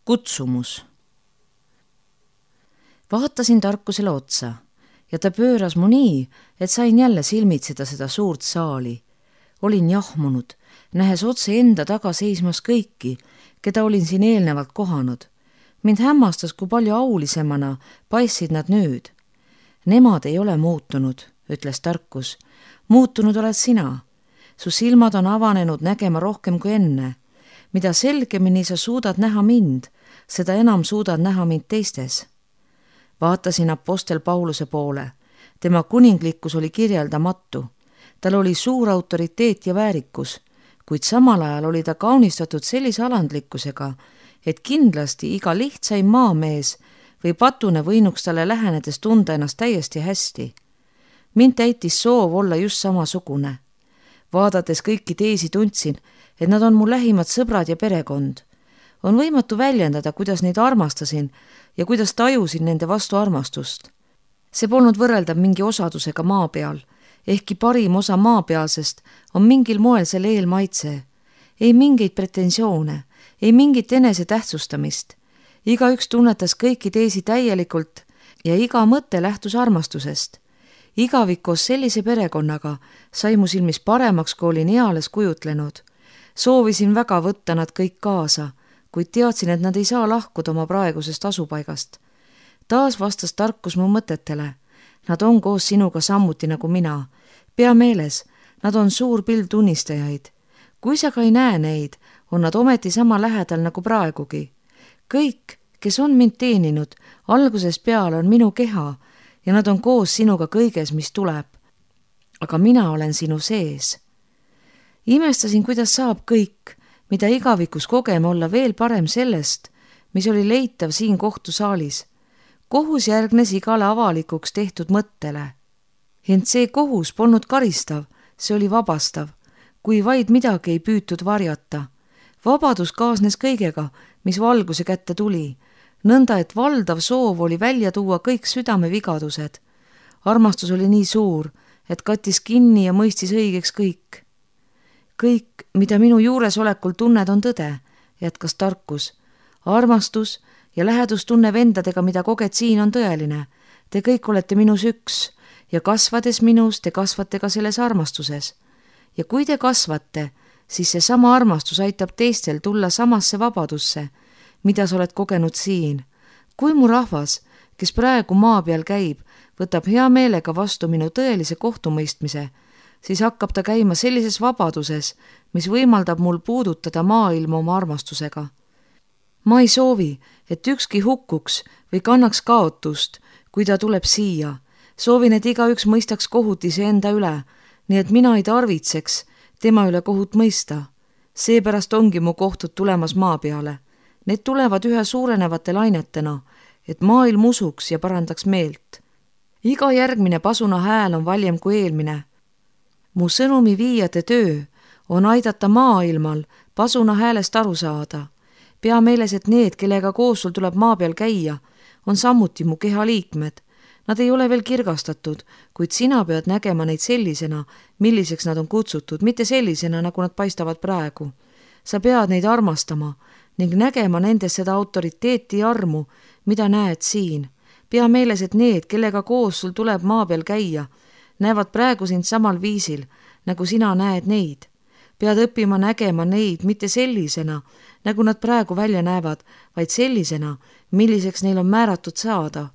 Kutsumus. Vaatasin Tarkusele otsa ja ta pööras mu nii, et sain jälle silmitseda seda suurt saali. Olin jahmunud, nähes otse enda taga seismas kõiki, keda olin siin eelnevalt kohanud. Mind hämmastas, kui palju aulisemana paistsid nad nüüd. Nemad ei ole muutunud, ütles Tarkus. Muutunud oled sina. Su silmad on avanenud nägema rohkem kui enne. Mida selgemini sa suudad näha mind, seda enam suudad näha mind teistes. Vaatasin apostel Pauluse poole. Tema kuninglikkus oli kirjeldamatu. Tal oli suur autoriteet ja väärikus, kuid samal ajal oli ta kaunistatud sellise alandlikkusega, et kindlasti iga lihtsaim maamees või patune võinuks talle lähenedes tunda ennast täiesti hästi. Mind täitis soov olla just samasugune. Vaadates kõiki teisi tundsin, et nad on mu lähimad sõbrad ja perekond. On võimatu väljendada, kuidas neid armastasin ja kuidas tajusin nende vastu armastust. See polnud võrreldav mingi osadusega maa peal, ehkki parim osa maapealsest on mingil moel selle eelmaitse. Ei mingeid pretensioone, ei mingit enese tähtsustamist. Igaüks tunnetas kõiki teisi täielikult ja iga mõte lähtus armastusest. Igavik koos sellise perekonnaga sai mu silmis paremaks, kui olin eales kujutlenud. Soovisin väga võtta nad kõik kaasa, kuid teadsin, et nad ei saa lahkuda oma praegusest asupaigast. Taas vastas Tarkus mu mõtetele. Nad on koos sinuga sammuti nagu mina. Pea meeles, nad on suur pild tunnistajaid. Kui sa ka ei näe neid, on nad ometi sama lähedal nagu praegugi. Kõik, kes on mind teeninud, algusest peale on minu keha ja nad on koos sinuga kõiges, mis tuleb. Aga mina olen sinu sees. Imestasin, kuidas saab kõik, mida igavikus kogeme, olla veel parem sellest, mis oli leitav siin kohtusaalis. Kohus järgnes igale avalikuks tehtud mõttele. Ent see kohus polnud karistav, see oli vabastav, kui vaid midagi ei püütud varjata. Vabadus kaasnes kõigega, mis valguse kätte tuli, nõnda et valdav soov oli välja tuua kõik südamevigadused. Armastus oli nii suur, et kattis kinni ja mõistis õigeks kõik. Kõik, mida minu juuresolekul tunned, on tõde, jätkas Tarkus. Armastus ja lähedustunne vendadega, mida koged siin, on tõeline. Te kõik olete minus üks ja kasvades minus, te kasvate ka selles armastuses. Ja kui te kasvate, siis see sama armastus aitab teistel tulla samasse vabadusse, mida sa oled kogenud siin. Kui mu rahvas, kes praegu maa peal käib, võtab hea meelega vastu minu tõelise kohtumõistmise, siis hakkab ta käima sellises vabaduses, mis võimaldab mul puudutada maailma oma armastusega. Ma ei soovi, et ükski hukkuks või kannaks kaotust, kui ta tuleb siia. Soovin, et igaüks mõistaks kohut iseenda üle, nii et mina ei tarvitseks tema üle kohut mõista. Seepärast ongi mu kohtud tulemas maa peale. Need tulevad ühe suurenevate lainetena, et maailm usuks ja parandaks meelt. Iga järgmine pasuna hääl on valjem kui eelmine. Mu sõnumi viijate töö on aidata maailmal pasuna häälest aru saada. Pea meeles, et need, kellega koos sul tuleb maa peal käia, on samuti mu keha liikmed. Nad ei ole veel kirgastatud, kuid sina pead nägema neid sellisena, milliseks nad on kutsutud, mitte sellisena, nagu nad paistavad praegu. Sa pead neid armastama ning nägema nendes seda autoriteeti ja armu, mida näed siin. Pea meeles, et need, kellega koos sul tuleb maa peal käia, näevad praegu sind samal viisil, nagu sina näed neid. Pead õppima nägema neid mitte sellisena, nagu nad praegu välja näevad, vaid sellisena, milliseks neil on määratud saada.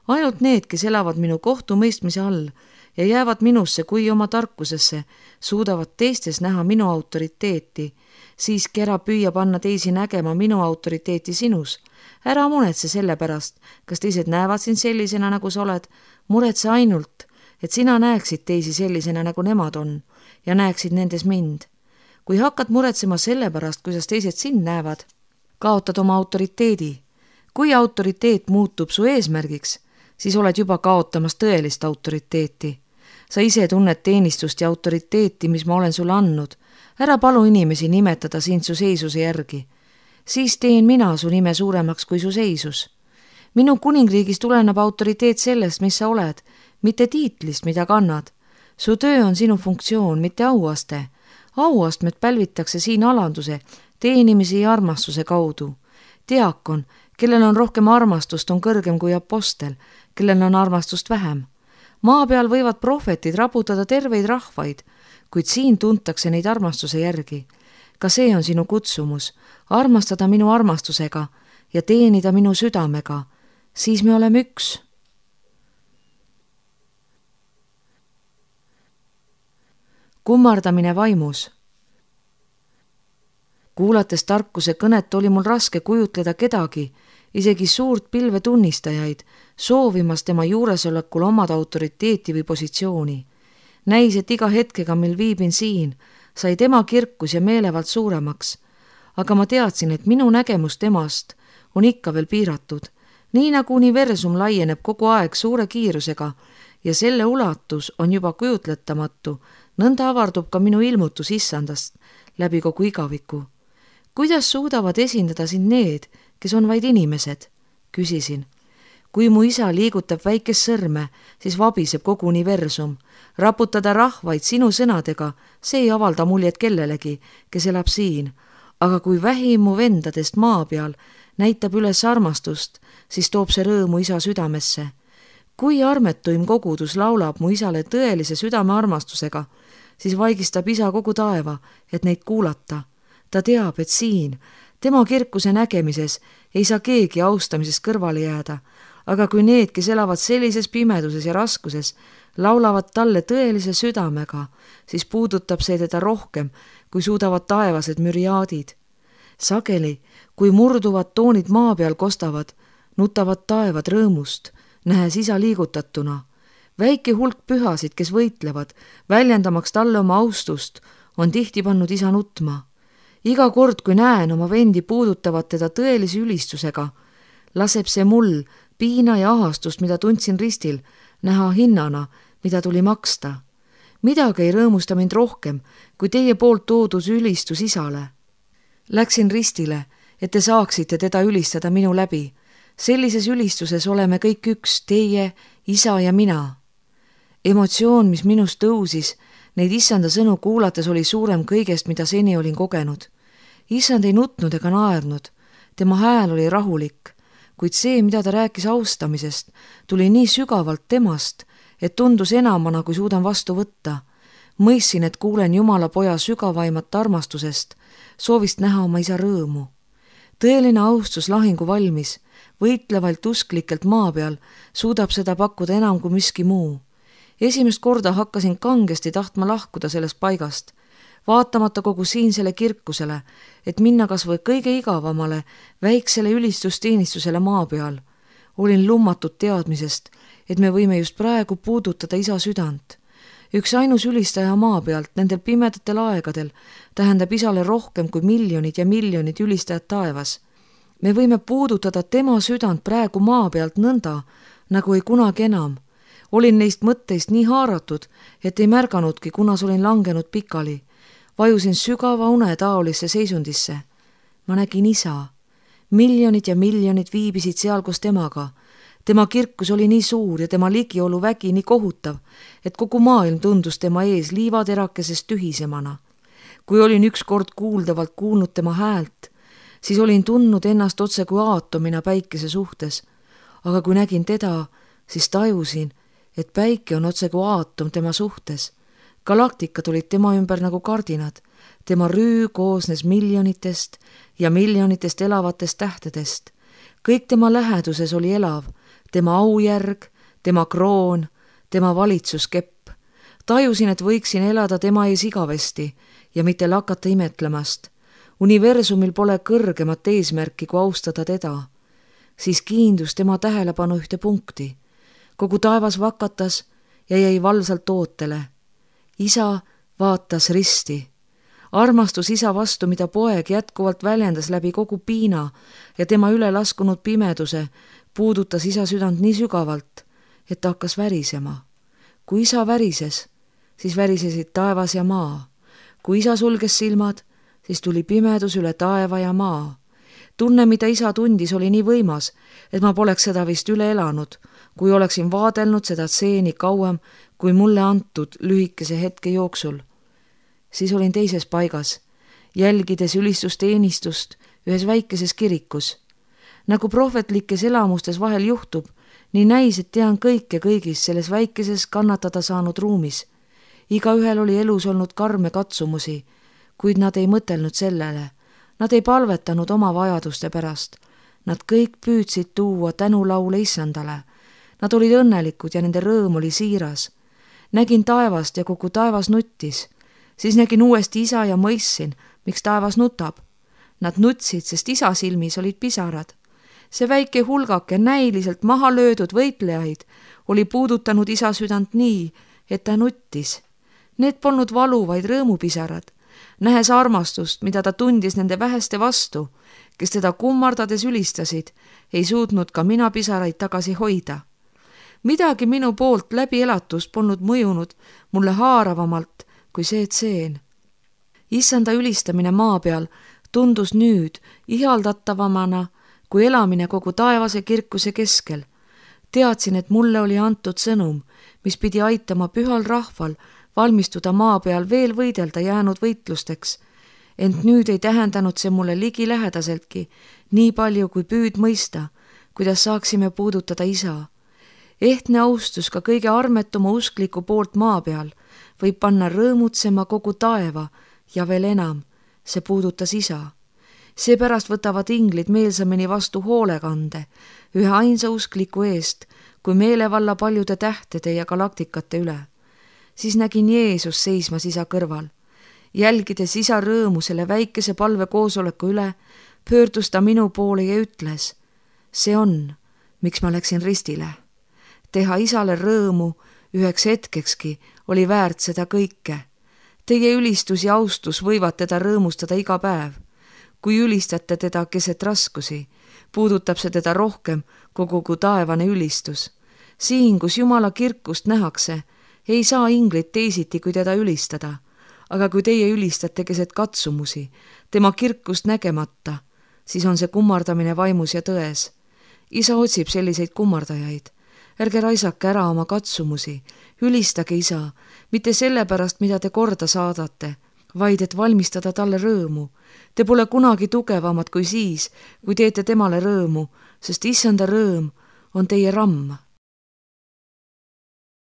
Ainult need, kes elavad minu kohtumõistmise all ja jäävad minusse kui oma tarkusesse, suudavad teistes näha minu autoriteeti. Siiski ära püüa panna teisi nägema minu autoriteeti sinus. Ära muretse selle pärast, kas teised näevad sind sellisena, nagu sa oled. Muretse ainult, et sina näeksid teisi sellisena, nagu nemad on ja näeksid nendes mind. Kui hakkad muretsema selle pärast, kuidas teised sind näevad, kaotad oma autoriteedi. Kui autoriteet muutub su eesmärgiks, siis oled juba kaotamas tõelist autoriteeti. Sa ise tunned teenistust ja autoriteeti, mis ma olen sulle andnud. Ära palu inimesi nimetada sind su seisuse järgi. Siis teen mina su nime suuremaks kui su seisus. Minu kuningriigis tuleneb autoriteet sellest, mis sa oled, mitte tiitlist, mida kannad. Su töö on sinu funktsioon, mitte auaste. Auastmed pälvitakse siin alanduse, teenimise ja armastuse kaudu. diakon, kellel on rohkem armastust, on kõrgem kui apostel, kellel on armastust vähem. Maa peal võivad prohvetid raputada terveid rahvaid, kuid siin tuntakse neid armastuse järgi. Ka see on sinu kutsumus, armastada minu armastusega ja teenida minu südamega, siis me oleme üks. Kummardamine vaimus. Kuulates tarkuse kõnet oli mul raske kujutleda kedagi, isegi suurt pilve tunnistajaid, soovimas tema juuresolekul omada autoriteeti või positsiooni. Näis, et iga hetkega, mil viibin siin, sai tema kirkus ja meelevald suuremaks, aga ma teadsin, et minu nägemus temast on ikka veel piiratud, nii nagu universum laieneb kogu aeg suure kiirusega ja selle ulatus on juba kujutletamatu, nõnda avardub ka minu ilmutus issandast läbi kogu igaviku. Kuidas suudavad esindada sind need, kes on vaid inimesed? Küsisin. Kui mu isa liigutab väikest sõrme, siis vabiseb kogu universum. Raputada rahvaid sinu sõnadega, see ei avalda muljet kellelegi, kes elab siin. Aga kui vähim mu vendadest maa peal näitab üles armastust, siis toob see rõõmu isa südamesse. Kui armetuim kogudus laulab mu isale tõelise südame armastusega, siis vaigistab isa kogu taeva, et neid kuulata. Ta teab, et siin, tema kirkuse nägemises ei saa keegi austamisest kõrvale jääda, aga kui need, kes elavad sellises pimeduses ja raskuses, laulavad talle tõelise südamega, siis puudutab see teda rohkem, kui suudavad taevased müriaadid. Sageli, kui murduvad toonid maa peal kostavad, nutavad taevad rõõmust, nähes isa liigutatuna. Väike hulk pühasid, kes võitlevad, väljendamaks talle oma austust, on tihti pannud isa nutma. Iga kord, kui näen oma vendi puudutavat teda tõelise ülistusega, laseb see mul piina ja ahastust, mida tundsin ristil, näha hinnana, mida tuli maksta. Midagi ei rõõmusta mind rohkem, kui teie poolt toodud ülistus isale. Läksin ristile, et te saaksite teda ülistada minu läbi. Sellises ülistuses oleme kõik üks, teie, isa ja mina. Emotsioon, mis minust tõusis, neid issanda sõnu kuulates oli suurem kõigest, mida seni olin kogenud. Issand ei nutnud ega naernud, tema hääl oli rahulik, kuid see, mida ta rääkis austamisest, tuli nii sügavalt temast, et tundus enamana, kui suudan vastu võtta. Mõistsin, et kuulen Jumala poja sügavaimat armastusest, soovist näha oma isa rõõmu. Tõeline austus lahingu valmis, võitlevalt usklikelt maa peal, suudab seda pakkuda enam kui miski muu. Esimest korda hakkasin kangesti tahtma lahkuda sellest paigast, vaatamata kogu siinsele kirkusele, et minna kas või kõige igavamale, väiksele ülistusteenistusele maa peal. Olin lummatud teadmisest, et me võime just praegu puudutada isa südant. Üks ainus ülistaja maa pealt nendel pimedatel aegadel tähendab isale rohkem kui miljonid ja miljonid ülistajad taevas. Me võime puudutada tema südant praegu maa pealt nõnda, nagu ei kunagi enam. Olin neist mõtteist nii haaratud, et ei märganudki, kunas olin langenud pikali. Vajusin sügava une taolisse seisundisse. Ma nägin isa. Miljonid ja miljonid viibisid seal koos temaga. Tema kirkus oli nii suur ja tema ligiolu vägi nii kohutav, et kogu maailm tundus tema ees liivaterakesest tühisemana. Kui olin ükskord kuuldavalt kuulnud tema häält, siis olin tundnud ennast otse kui aatomina päikese suhtes. Aga kui nägin teda, siis tajusin, et päike on otse kui aatom tema suhtes. Galaktikad olid tema ümber nagu kardinad. Tema rüü koosnes miljonitest ja miljonitest elavatest tähtedest. Kõik tema läheduses oli elav, tema aujärg, tema kroon, tema valitsuskepp. Tajusin, et võiksin elada tema ees igavesti ja mitte lakata imetlemast. Universumil pole kõrgemat eesmärki kui austada teda. Siis kiindus tema tähelepanu ühte punkti. Kogu taevas vakatas ja jäi valvsalt ootele. Isa vaatas risti. Armastus isa vastu, mida poeg jätkuvalt väljendas läbi kogu piina ja tema üle laskunud pimeduse, puudutas isa südant nii sügavalt, et ta hakkas värisema. Kui isa värises, siis värisesid taevas ja maa. Kui isa sulges silmad, siis tuli pimedus üle taeva ja maa. Tunne, mida isa tundis, oli nii võimas, et ma poleks seda vist üle elanud, kui oleksin vaadelnud seda tseeni kauem, kui mulle antud lühikese hetke jooksul. Siis olin teises paigas, jälgides ülistusteenistust ühes väikeses kirikus. Nagu prohvetlikes elamustes vahel juhtub, nii näis, et tean kõike kõigis selles väikeses kannatada saanud ruumis. Igaühel oli elus olnud karme katsumusi, kuid nad ei mõtelnud sellele. Nad ei palvetanud oma vajaduste pärast. Nad kõik püüdsid tuua tänulaule Issandale. Nad olid õnnelikud ja nende rõõm oli siiras. Nägin taevast ja kogu taevas nuttis. Siis nägin uuesti isa ja mõistsin, miks taevas nutab. Nad nutsid, sest isa silmis olid pisarad. See väike hulgake näiliselt maha löödud võitlejaid oli puudutanud isa südant nii, et ta nuttis. Need polnud valu, vaid rõõmupisarad. Nähes armastust, mida ta tundis nende väheste vastu, kes teda kummardades ülistasid, ei suutnud ka mina pisaraid tagasi hoida. Midagi minu poolt läbi elatust polnud mõjunud mulle haaravamalt kui see tseen. Issanda ülistamine maa peal tundus nüüd ihaldatavamana kui elamine kogu taevase kirkuse keskel. Teadsin, et mulle oli antud sõnum, mis pidi aitama pühal rahval valmistuda maa peal veel võidelda jäänud võitlusteks. Ent nüüd ei tähendanud see mulle ligilähedaseltki nii palju kui püüd mõista, kuidas saaksime puudutada isa. Ehtne austus ka kõige armetuma uskliku poolt maa peal võib panna rõõmutsema kogu taeva ja veel enam, see puudutas isa. Seepärast võtavad inglid meelsamini vastu hoolekande ühe ainsa uskliku eest, kui meelevalla paljude tähtede ja galaktikate üle. Siis nägin Jeesus seismas isa kõrval. Jälgides isa rõõmu selle väikese palve koosoleku üle, pöördus ta minu poole ja ütles, see on, miks ma läksin ristile. Teha isale rõõmu üheks hetkekski oli väärt seda kõike. Teie ülistus ja austus võivad teda rõõmustada iga päev. Kui ülistate teda keset raskusi, puudutab see teda rohkem kogu taevane ülistus. Siin, kus Jumala kirkust nähakse, ei saa inglid teisiti, kui teda ülistada. Aga kui teie ülistate keset katsumusi, tema kirkust nägemata, siis on see kummardamine vaimus ja tões. Isa otsib selliseid kummardajaid. Ärge raisake ära oma katsumusi, ülistage isa, mitte sellepärast, mida te korda saadate, vaid et valmistada talle rõõmu. Te pole kunagi tugevamad kui siis, kui teete temale rõõmu, sest issanda rõõm on teie ramm.